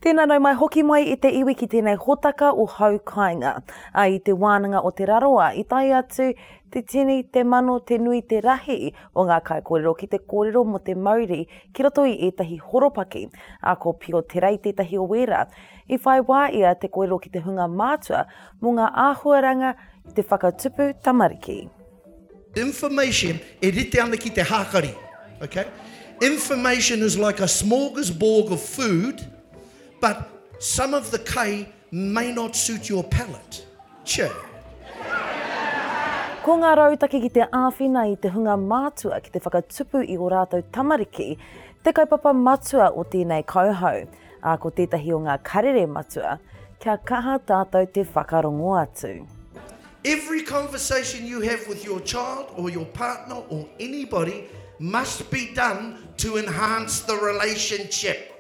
Tēnā nau mai hoki mai i te iwi ki tēnei hōtaka o Hau Kāinga. Ā, i te wānanga o Te Rarawa i tae atu te tini, te mano, te nui, te rahi o ngā kaikōrero ki te kōrero mō te mauri ki roto i ētahi horopaki. Ā, ko Pio Te Rei tētahi o wērā. I whai wā ia te kōrero ki te hunga mātua mō ngā āhuaranga i te whakatupu tamariki. Information e rite ana ki te hākari, okay? Information is like a smorgasbord of food, but some of the kai may not suit your palate. Che. Ko ngā rautaki ki te āwhina i te hunga mātua ki te whakatupu i ō rātou tamariki te kaupapa matua o tēnei kauhau, ā, ko tētahi o ngā karere matua, kia kaha tātou te whakarongo atu. Every conversation you have with your child or your partner or anybody must be done to enhance the relationship.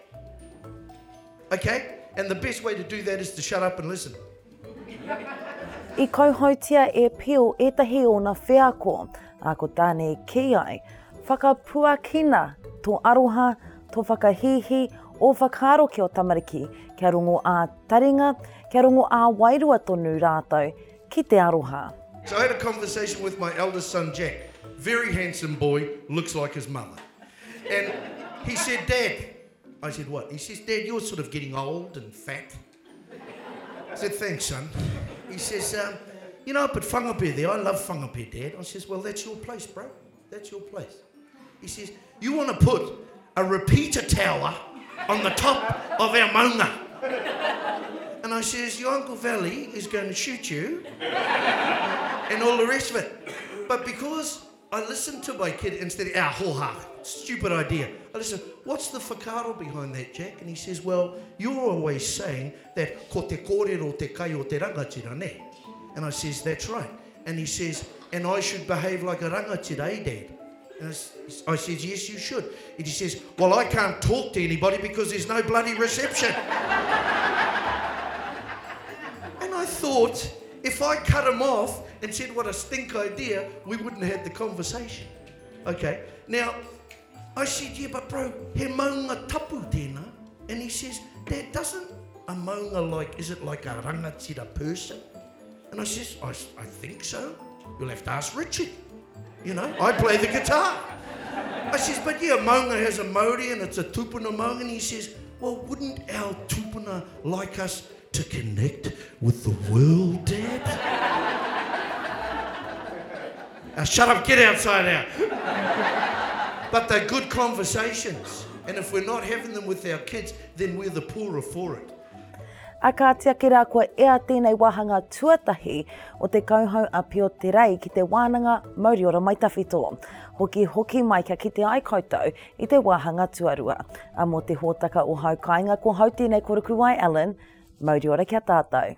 Okay? And the best way to do that is to shut up and listen. I kauhautia e Peel ētahi ōna wheako, ā, ko tāna i kī ai, Whakapuakina tō aroha, tō whakahīhī, ō whakaaro ki ō tamariki, kia rongo ā-taringa, kia rongo ā-wairua tonu rātou ki te aroha. So I had a conversation with my eldest son Jack, very handsome boy, looks like his mother. And he said, Dad, I said, what? He says, Dad, you're sort of getting old and fat. I said, thanks, son. He says, um, you know, up at Whangape there, I love Whangape, Dad. I says, well, that's your place, bro. That's your place. He says, you want to put a repeater tower on the top of our maunga. And I says, your Uncle Valley is going to shoot you and all the rest of it. But because I listened to my kid instead of, ah, hoha, stupid idea. I listened, what's the whakaaro behind that, Jack? And he says, well, you're always saying that ko te kōrero te kai o te rangatira, ne? And I says, that's right. And he says, and I should behave like a rangatira, eh, Dad? And I, I says, yes, you should. And he says, well, I can't talk to anybody because there's no bloody reception. and I thought, if I cut him off and said what a stink idea, we wouldn't have had the conversation. Okay. Now, I said, yeah, but bro, he maunga tapu tēnā. And he says, Dad, doesn't a maunga like, is it like a rangatira person? And I says, I, I think so. You'll have to ask Richard. You know, I play the guitar. I says, but yeah, maunga has a mauri and it's a tupuna maunga. And he says, well, wouldn't our tupuna like us to connect with the world, Dad? now, shut up, get outside now. But they're good conversations. And if we're not having them with our kids, then we're the poorer for it. A kāti ake rā kua ea tēnei wāhanga tuatahi o te kauhau a Pio Te Rei ki te wānanga Mauriora Mai Tawhito. Hoki hoki mai kia kite ai koutou i te wāhanga tuarua. A mō te hōtaka o Hau Kāinga ko hau tēnei ko Rukuwai Allen, Mauriora kia tātou.